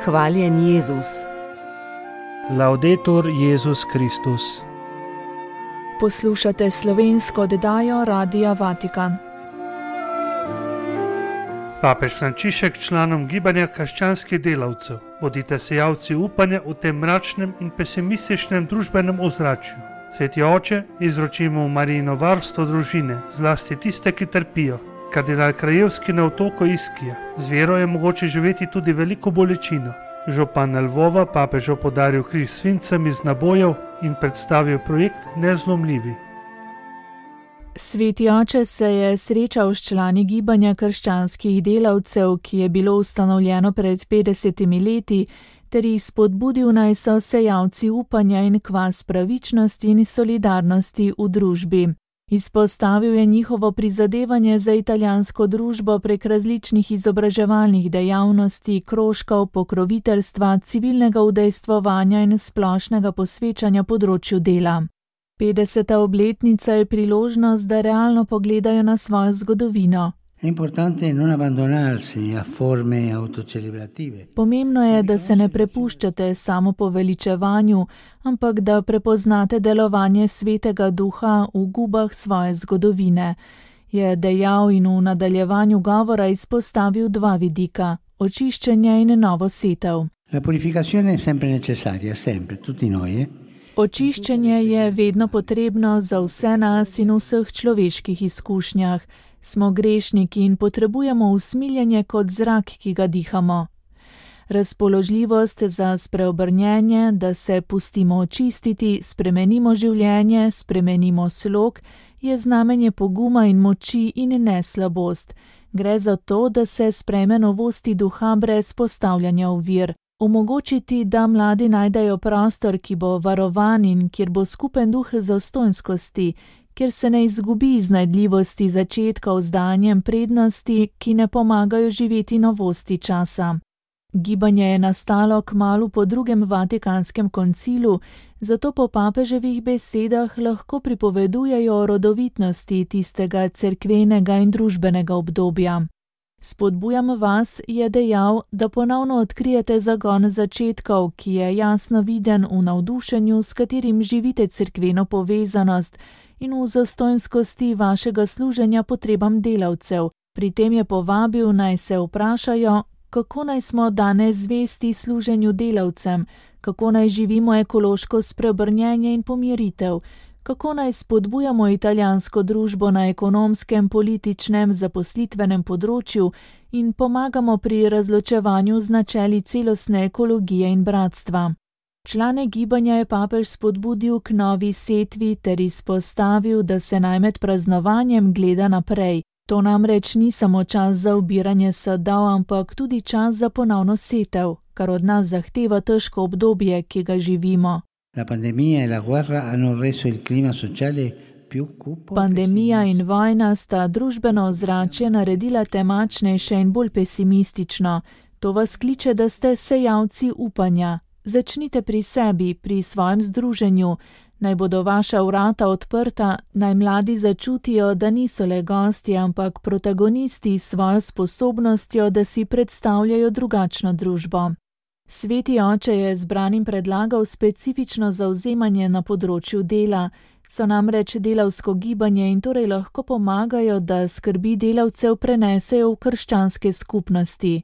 Hvaljen Jezus. Laudetur Jezus Kristus. Poslušate slovensko oddajo Radia Vatikan. Papež Frančišek članom gibanja krščanskih delavcev: bodite sejalci upanja v tem mračnem in pesimističnem družbenem ozračju. Sveti oče, izročimo v Marijino varstvo družine, zlasti tiste, ki trpijo. Kardinal Krajevski na otoku Iskija: z vero je mogoče živeti tudi veliko bolečino. Župan Lvova papežu podaril križ s svincem iz nabojev in predstavil projekt Nezlomljivi. Sveti oče se je srečal s člani gibanja krščanskih delavcev, ki je bilo ustanovljeno pred 50 leti, ter jih spodbudil, naj so sejalci upanja in kvas pravičnosti in solidarnosti v družbi. Izpostavil je njihovo prizadevanje za italijansko družbo prek različnih izobraževalnih dejavnosti, krožkov, pokroviteljstva, civilnega udejstvovanja in splošnega posvečanja področju dela. 50. obletnica je priložnost, da realno pogledajo na svojo zgodovino. Pomembno je, da se ne prepuščate samopoveličevanju, ampak da prepoznate delovanje Svetega Duha v gubah svoje zgodovine, je dejal in v nadaljevanju govora izpostavil dva vidika: očiščenje in novo setev. Očiščenje je vedno potrebno za vse nas in v vseh človeških izkušnjah. Smo grešniki in potrebujemo usmiljenje kot zrak, ki ga dihamo. Razpoložljivost za spreobrnjenje, da se pustimo očistiti, spremenimo življenje, spremenimo slog, je znamenje poguma in moči in ne slabost. Gre za to, da se sprejme novosti duha brez postavljanja ovir. Omogočiti, da mladi najdejo prostor, ki bo varovan in kjer bo skupen duh zastonjskosti, kjer se ne izgubi iznajdljivosti začetkov z danjem prednosti, ki ne pomagajo živeti novosti časa. Gibanje je nastalo kmalu po drugem Vatikanskem koncilu, zato po papeževih besedah lahko pripovedujejo o rodovitnosti tistega cerkvenega in družbenega obdobja. Spodbujam vas, je dejal, da ponovno odkrijete zagon začetkov, ki je jasno viden v navdušenju, s katerim živite cerkveno povezanost, in v zastonjskosti vašega služenja potrebam delavcev. Pri tem je povabil, naj se vprašajo, kako naj smo danes zvesti služenju delavcem, kako naj živimo ekološko spreobrnjenje in pomiritev, kako naj spodbujamo italijansko družbo na ekonomskem, političnem, zaposlitvenem področju in pomagamo pri razločevanju z načeli celostne ekologije in bratstva. Člane gibanja je papež spodbudil k novi setvi ter izpostavil, da se naj med praznovanjem gleda naprej. To namreč ni samo čas za obiranje sadov, ampak tudi čas za ponovno setev, kar od nas zahteva težko obdobje, ki ga živimo. Pandemija in vojna sta družbeno ozračje naredila temačnejše in bolj pesimistično. To vas kliče, da ste sejalci upanja. Začnite pri sebi, pri svojem združenju. Naj bodo vaša vrata odprta, naj mladi začutijo, da niso le gostje, ampak protagonisti s svojo sposobnostjo, da si predstavljajo drugačno družbo. Sveti oče je zbranim predlagal specifično zavzemanje na področju dela. So namreč delavsko gibanje in torej lahko pomagajo, da skrbi delavcev prenesejo v krščanske skupnosti.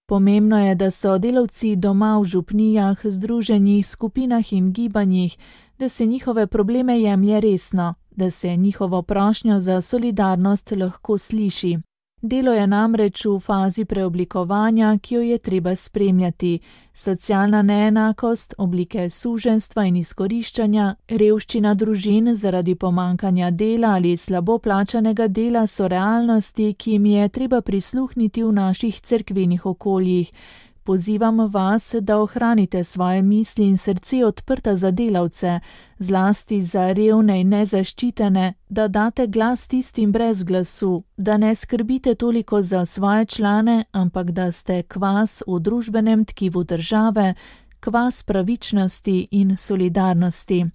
Pomembno je, da so delavci doma v župnijah, združenjih, skupinah in gibanjih, da se njihove probleme jemlje resno, da se njihovo prošnjo za solidarnost lahko sliši. Delo je namreč v fazi preoblikovanja, ki jo je treba spremljati. Socialna neenakost, oblike suženjstva in izkoriščanja, revščina družin zaradi pomanjkanja dela ali slabo plačanega dela so realnosti, ki jim je treba prisluhniti v naših cerkvenih okoljih. Pozivam vas, da ohranite svoje misli in srce odprta za delavce, zlasti za revne in nezaščitene, da date glas tistim brez glasu, da ne skrbite toliko za svoje člane, ampak da ste kvas v družbenem tkivu države, kvas pravičnosti in solidarnosti.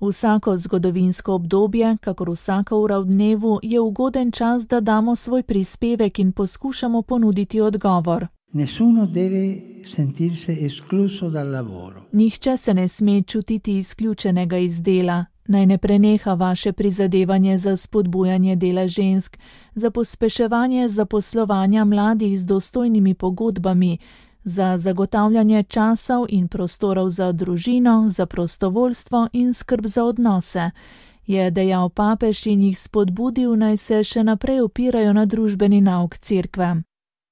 Vsako zgodovinsko obdobje, kakor vsaka ura v dnevu, je ugoden čas, da damo svoj prispevek in poskušamo ponuditi odgovor. Nessuno deve sentirsi escluso dal lavoro. Nihče se ne sme čutiti izključenega iz dela. Naj ne preneha vaše prizadevanje za spodbujanje dela žensk, za pospeševanje zaposlovanja mladih z dostojnimi pogodbami, za zagotavljanje časov in prostorov za družino, za prostovoljstvo in skrb za odnose, je dejal papež in jih spodbudil, naj se še naprej opirajo na družbeni nauk cerkve.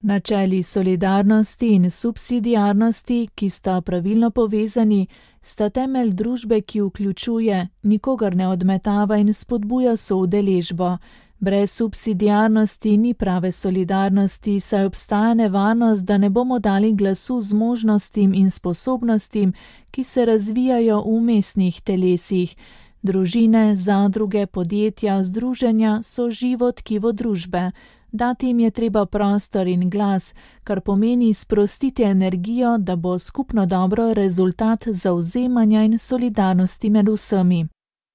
Načeli solidarnosti in subsidiarnosti, ki sta pravilno povezani, sta temelj družbe, ki vključuje, nikogar ne odmetava in spodbuja soudeležbo. Brez subsidiarnosti ni prave solidarnosti, saj obstaja nevarnost, da ne bomo dali glasu zmožnostim in sposobnostim, ki se razvijajo v mestnih telesih. Družine, zadruge, podjetja, združenja so živo tkivo družbe. Dati jim je treba prostor in glas, kar pomeni sprostiti energijo, da bo skupno dobro rezultat zavzemanja in solidarnosti med vsemi.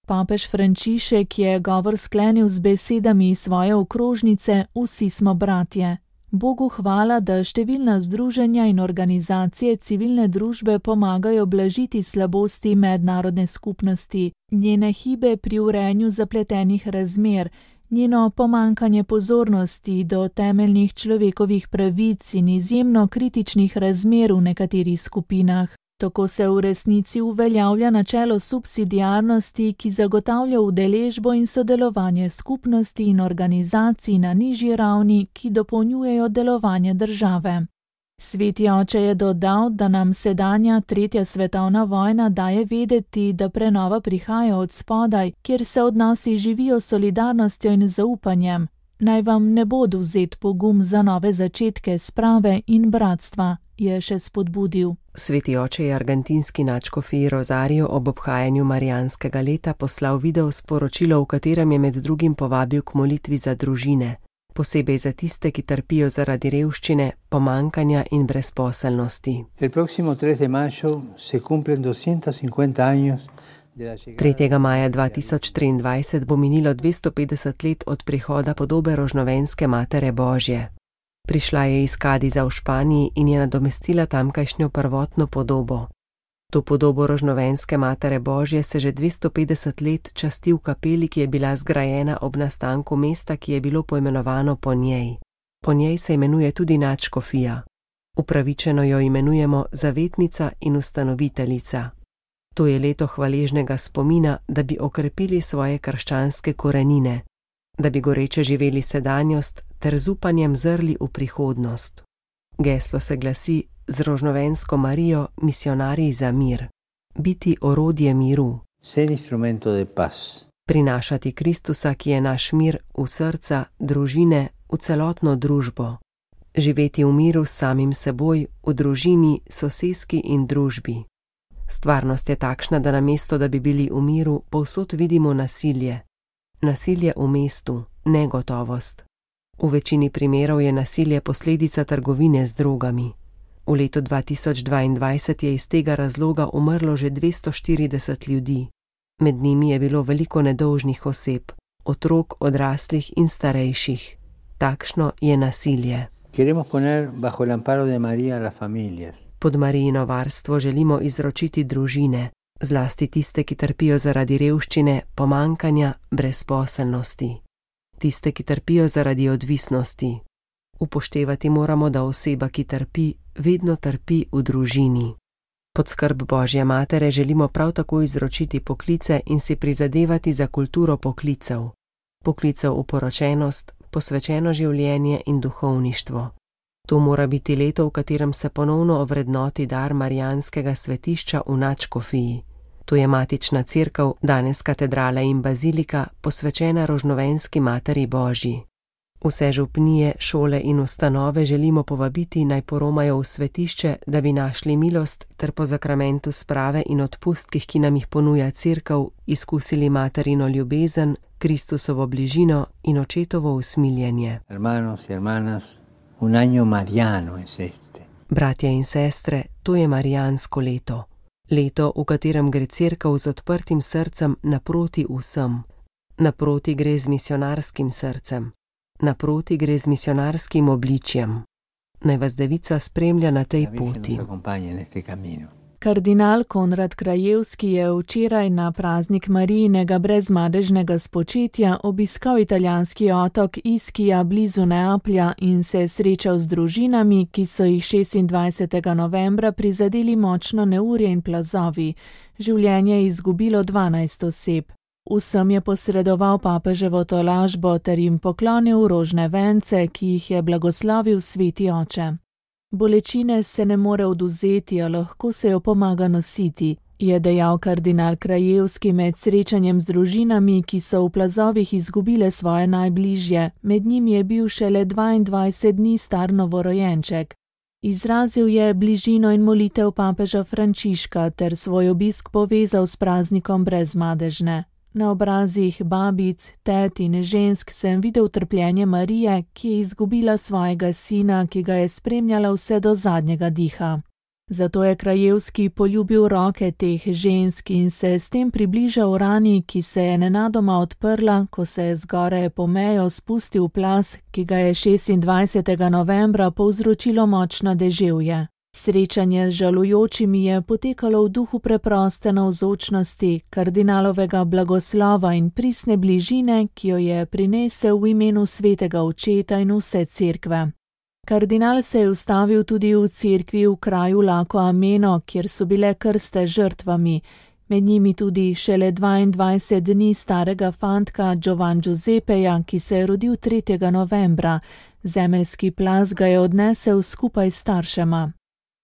Papež Frančišek je govor sklenil z besedami svoje okrožnice Vsi smo bratje. Bogu hvala, da številna združenja in organizacije civilne družbe pomagajo blažiti slabosti mednarodne skupnosti, njene hibe pri urejanju zapletenih razmer, njeno pomankanje pozornosti do temeljnih človekovih pravic in izjemno kritičnih razmer v nekaterih skupinah. Tako se v resnici uveljavlja načelo subsidiarnosti, ki zagotavlja udeležbo in sodelovanje skupnosti in organizacij na nižji ravni, ki dopolnjujejo delovanje države. Sveti oče je dodal, da nam sedanja 3. svetovna vojna daje vedeti, da prenova prihaja od spodaj, kjer se odnosi živijo s solidarnostjo in zaupanjem. Naj vam ne bo vzet pogum za nove začetke sprave in bratstva, je še spodbudil. Sveti oče je argentinski nadškofiji Rozariju ob obhajanju Marijanskega leta poslal video sporočilo, v katerem je med drugim povabil k molitvi za družine, posebej za tiste, ki trpijo zaradi revščine, pomankanja in brezposelnosti. 3. maja 2023 bo minilo 250 let od prihoda podobe Rožnovenske Matere Božje. Prišla je iz Kadiza v Španiji in je nadomestila tamkajšnjo prvotno podobo. To podobo Rožnovenske Matere Božje se že 250 let časti v kapeli, ki je bila zgrajena ob nastanku mesta, ki je bilo poimenovano po njej. Po njej se imenuje tudi nadškofija. Upravičeno jo imenujemo zavetnica in ustanoviteljica. To je leto hvaležnega spomina, da bi okrepili svoje krščanske korenine, da bi goreče živeli sedanjost ter z upanjem zrli v prihodnost. Geslo se glasi: z Rožnovensko Marijo misionarji za mir. Biti orodje miru. Ser instrumento de paz. Prinašati Kristusa, ki je naš mir, v srca, družine, v celotno družbo. Živeti v miru s samim seboj, v družini, soseski in družbi. Stvarnost je takšna, da namesto, da bi bili v miru, povsod vidimo nasilje. Nasilje v mestu, negotovost. V večini primerov je nasilje posledica trgovine z drogami. V letu 2022 je iz tega razloga umrlo že 240 ljudi. Med njimi je bilo veliko nedolžnih oseb, otrok, odraslih in starejših. Takšno je nasilje. Pod Marijino varstvo želimo izročiti družine, zlasti tiste, ki trpijo zaradi revščine, pomankanja, brezposelnosti. Tiste, ki trpijo zaradi odvisnosti. Upoštevati moramo, da oseba, ki trpi, vedno trpi v družini. Pod skrb Božje Matere želimo prav tako izročiti poklice in si prizadevati za kulturo poklicev. Poklicev v poročenost, posvečeno življenje in duhovništvo. To mora biti leto, v katerem se ponovno ovrednoti dar Marijanskega svetišča v nadškofiji. To je matična cerkev, danes katedrala in bazilika, posvečena Rožnovenski Materi Božji. Vse župnije, šole in ustanove želimo povabiti, naj poromajo v svetišče, da bi našli milost ter po zakramentu sprave in odpustkih, ki nam jih ponuja cerkev, izkusili materino ljubezen, Kristusovo bližino in očetovo usmiljenje. Bratje in sestre, to je marijansko leto. Leto, v katerem gre cerkev z odprtim srcem naproti vsem. Naproti gre z misionarskim srcem. Naproti gre z misionarskim obličjem. Naj vas Devica spremlja na tej poti. Kardinal Konrad Krajewski je včeraj na praznik Marijinega brezmadežnega spočetja obiskal italijanski otok Ischia blizu Neaplja in se srečal z družinami, ki so jih 26. novembra prizadeli močno neurje in plazovi. Življenje je izgubilo 12 oseb. Vsem je posredoval papeževo tolažbo ter jim poklonil rožne vence, ki jih je blagoslovil sveti oče. Bolečine se ne more odvzeti, a lahko se jo pomaga nositi, je dejal kardinal Krajewski med srečanjem z družinami, ki so v plazovih izgubile svoje najbližje, med njimi je bil šele 22 dni star novorojenček. Izrazil je bližino in molitev papeža Frančiška ter svoj obisk povezal s praznikom brezmadežne. Na obrazih babic, tet in žensk sem videl trpljenje Marije, ki je izgubila svojega sina, ki ga je spremljala vse do zadnjega diha. Zato je Krajewski poljubil roke teh žensk in se s tem približal rani, ki se je nenadoma odprla, ko se je zgoraj po mejo spustil plaz, ki ga je 26. novembra povzročilo močno deževje. Srečanje z žalujočimi je potekalo v duhu preproste navzočnosti, kardinalovega blagoslova in pristne bližine, ki jo je prinesel v imenu svetega očeta in vse cerkve. Kardinal se je ustavil tudi v cerkvi v kraju Laco Ameno, kjer so bile krste žrtvami, med njimi tudi šele 22 dni starega fantka Giovan Giuseppeja, ki se je rodil 3. novembra. Zemeljski plaz ga je odnesel skupaj s staršema.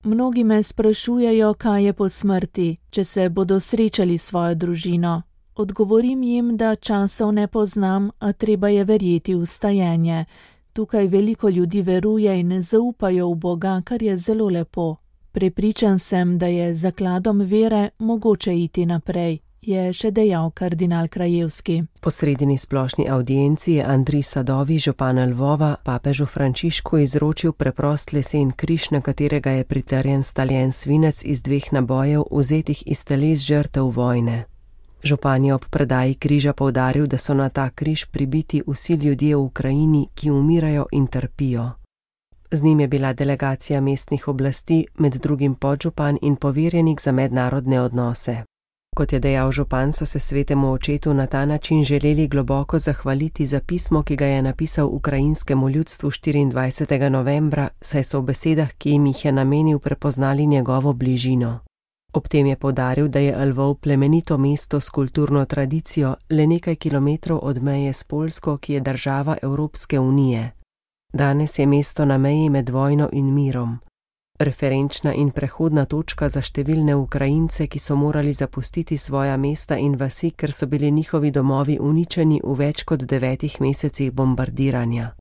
Mnogi me sprašujejo, kaj je po smrti, če se bodo srečali s svojo družino. Odgovorim jim, da časov ne poznam, a treba je verjeti v vstajenje. Tukaj veliko ljudi veruje in zaupajo v Boga, kar je zelo lepo. Prepričan sem, da je z zakladom vere mogoče iti naprej, je še dejal kardinal Krajewski. Po sredini splošni avdienci je Andrij Sadovi, župan Lvova, papežu Frančišku izročil preprost lesen križ, na katerega je pritrjen staljen svinec iz 2 nabojev, vzetih iz teles žrtev vojne. Župan je ob predaji križa poudaril, da so na ta križ pribiti vsi ljudje v Ukrajini, ki umirajo in trpijo. Z njim je bila delegacija mestnih oblasti, med drugim podžupan in poverjenik za mednarodne odnose. Kot je dejal župan, so se svetemu očetu na ta način želeli globoko zahvaliti za pismo, ki ga je napisal ukrajinskemu ljudstvu 24. novembra, saj so v besedah, ki jim jih je namenil, prepoznali njegovo bližino. Ob tem je poudaril, da je Lvov plemenito mesto s kulturno tradicijo, le nekaj kilometrov od meje s Poljsko, ki je država Evropske unije. Danes je mesto na meji med vojno in mirom. Referenčna in prehodna točka za številne Ukrajince, ki so morali zapustiti svoja mesta in vasi, ker so bili njihovi domovi uničeni v več kot 9 mesecih bombardiranja.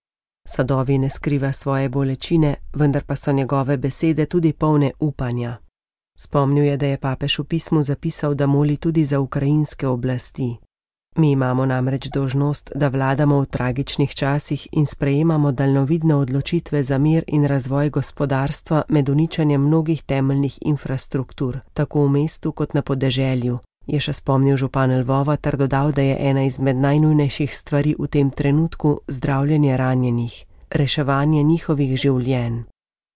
Sadovi ne skriva svoje bolečine, vendar pa so njegove besede tudi polne upanja. Spomnil je, da je papež v pismu zapisal, da moli tudi za ukrajinske oblasti. Mi imamo namreč dolžnost, da vladamo v tragičnih časih in sprejemamo daljnovidne odločitve za mir in razvoj gospodarstva med uničenjem mnogih temeljnih infrastruktur, tako v mestu kot na podeželju, je še spomnil župan Lvova ter dodal, da je ena izmed najnujnejših stvari v tem trenutku zdravljenje ranjenih, reševanje njihovih življenj.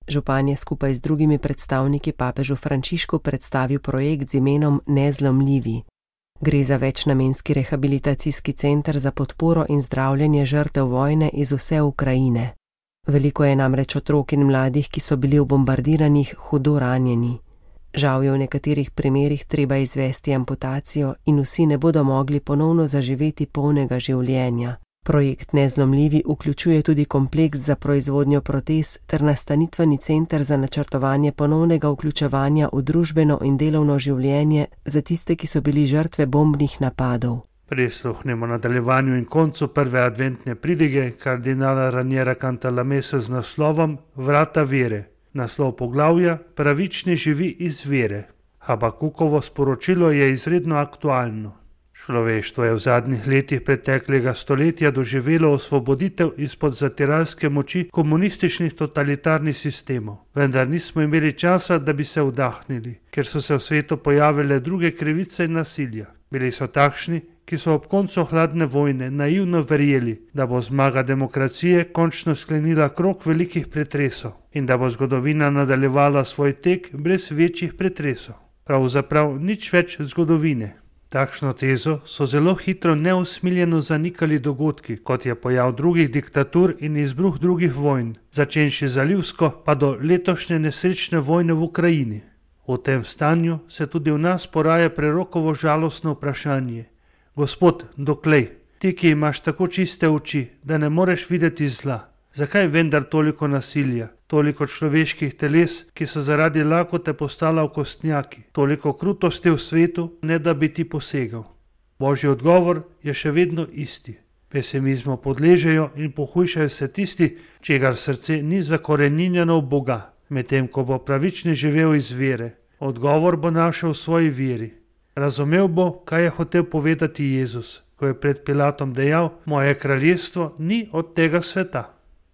Župan je skupaj z drugimi predstavniki papežu Frančišku predstavil projekt z imenom Nezlomljivi. Gre za večnamenski rehabilitacijski center za podporo in zdravljenje žrtev vojne iz vse Ukrajine. Veliko je namreč otrok in mladih, ki so bili v bombardiranih hudo ranjeni. Žal je v nekaterih primerih treba izvesti amputacijo in vsi ne bodo mogli ponovno zaživeti polnega življenja. Projekt Nezlomljivi vključuje tudi kompleks za proizvodnjo protez ter nastanitveni center za načrtovanje ponovnega vključevanja v družbeno in delovno življenje za tiste, ki so bili žrtve bombnih napadov. Prisluhnemo nadaljevanju in koncu prve adventne pridige kardinala Raniera Cantalamessa z naslovom Vrata vere. Naslov poglavja Pravični živi iz vere. Habakukovo sporočilo je izredno aktualno. Človeštvo je v zadnjih letih preteklega stoletja doživelo osvoboditev izpod zatiralske moči komunističnih totalitarnih sistemov. Vendar nismo imeli časa, da bi se vdahnili, ker so se v svetu pojavile druge krivice in nasilja. Bili so takšni, ki so ob koncu hladne vojne naivno verjeli, da bo zmaga demokracije končno sklenila krog velikih pretresov in da bo zgodovina nadaljevala svoj tek brez večjih pretresov. Pravzaprav nič več zgodovine. Takšno tezo so zelo hitro neusmiljeno zanikali dogodki, kot je pojav drugih diktatur in izbruh drugih vojn, začenši zalivsko pa do letošnje nesrečne vojne v Ukrajini. V tem stanju se tudi v nas poraja prerokovo žalostno vprašanje. Gospod, doklej, ti, ki imaš tako čiste oči, da ne moreš videti zla, zakaj vendar toliko nasilja, toliko človeških teles, ki so zaradi lakote postala okostnjaki, toliko krutosti v svetu, ne da bi ti posegal? Božji odgovor je še vedno isti. Pesimizmu podležejo in pohujšajo se tisti, čigar srce ni zakoreninjeno v Boga, medtem ko bo pravični živel iz vere. Odgovor bo našel v svoji veri. Razumel bo, kaj je hotel povedati Jezus, ko je pred Pilatom dejal: moje kraljestvo ni od tega sveta.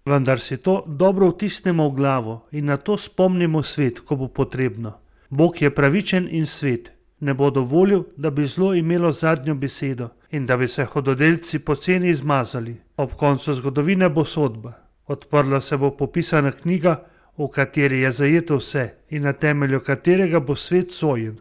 Vendar si to dobro vtisnemo v glavo in na to spomnimo svet, ko bo potrebno. Bog je pravičen in svet. Ne bo dovolil, da bi zlo imelo zadnjo besedo in da bi se hudodelci poceni izmazali. Ob koncu zgodovine bo sodba. Odprla se bo popisana knjiga, v kateri je zajeto vse in na temelju katerega bo svet sojen.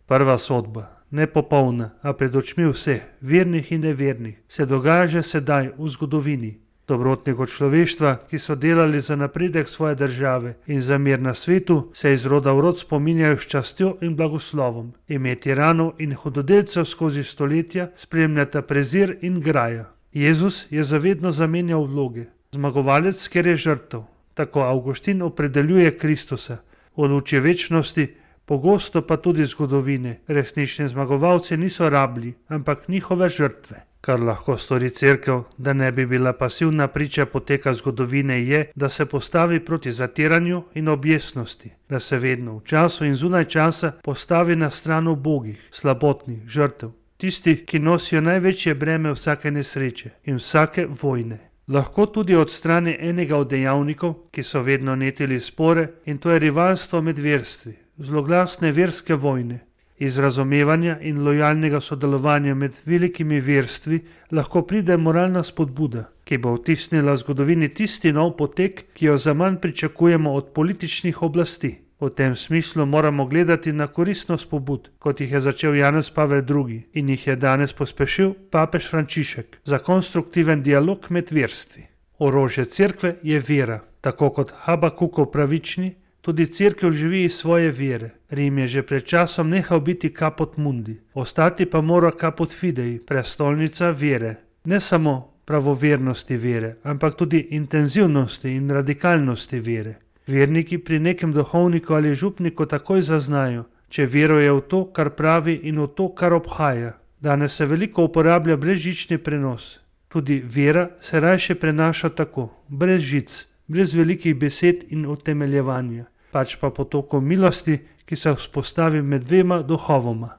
Prva sodba, nepopolna, a pred očmi vseh, vernih in nevernih, se dogaja že sedaj v zgodovini. Dobrotnikov človeštva, ki so delali za napredek svoje države in za mir na svetu, se iz roda v rod spominjajo s častjo in blagoslovom. Ime tiranov in hudodelcev skozi stoletja spremljata prezir in graja. Jezus je zavedno zamenjal vloge. Zmagovalec, ker je žrtev. Tako Avguštin opredeljuje Kristusa. V luči večnosti, pogosto pa tudi zgodovine, resnični zmagovalci niso rablji, ampak njihove žrtve. Kar lahko stori cerkev, da ne bi bila pasivna priča poteka zgodovine, je, da se postavi proti zatiranju in objestnosti, da se vedno v času in zunaj časa postavi na stran ubogih, slabotnih, žrtev, tisti, ki nosijo največje breme vsake nesreče in vsake vojne. Lahko tudi od strani enega od dejavnikov, ki so vedno netili spore, in to je rivalstvo med verstvi, zloglasne verske vojne. Iz razumevanja in lojalnega sodelovanja med velikimi verstvi lahko pride moralna spodbuda, ki bo vtisnila zgodovini tisti nov potek, ki jo zaman pričakujemo od političnih oblasti. V tem smislu moramo gledati na koristnost pobud, kot jih je začel Janez Pavel II in jih je danes pospešil papež Frančišek, za konstruktiven dialog med verstvi. Orožje cerkve je vera, tako kot Habakukov pravični, tudi cerkev živi iz svoje vere. Rim je že pred časom nehal biti caput mundi, ostati pa mora caput fidei, prestolnica vere. Ne samo pravovernosti vere, ampak tudi intenzivnosti in radikalnosti vere. Verniki pri nekem duhovniku ali župniku takoj zaznajo, če veruje v to, kar pravi, in v to, kar obhaja. Danes se veliko uporablja brezžični prenos. Tudi vera se rajše prenaša tako, brez žic, brez velikih besed in utemeljevanja, pač pa potokom milosti, ki se vzpostavi med dvema duhovoma.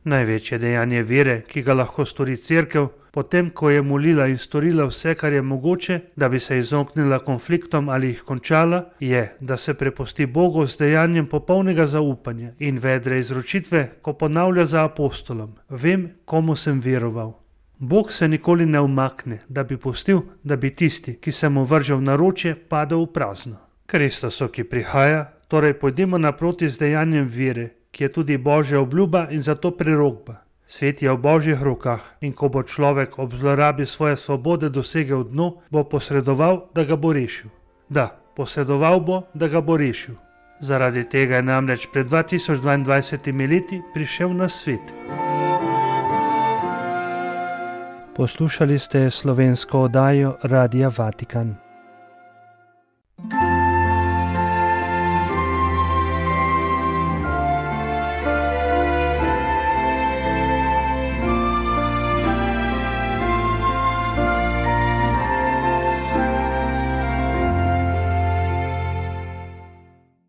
Največje dejanje vere, ki ga lahko stori cerkev, potem ko je molila in storila vse, kar je mogoče, da bi se izognila konfliktom ali jih končala, je, da se prepusti Bogu z dejanjem popolnega zaupanja in vedre izročitve, ko ponavlja za apostolom: vem, komu sem veroval. Bog se nikoli ne umakne, da bi pustil, da bi tisti, ki se mu vrže v naročje, padel v prazno. Kristusu, ki prihaja, torej pojdimo naproti z dejanjem vere, ki je tudi Božja obljuba in zato prerokba. Svet je v Božjih rokah in ko bo človek ob zlorabi svoje svobode dosegel dno, bo posredoval, da ga bo rešil. Da, posredoval bo, da ga bo rešil. Zaradi tega je namreč pred 2022 leti prišel na svet. Poslušali ste slovensko oddajo Radia Vatikan.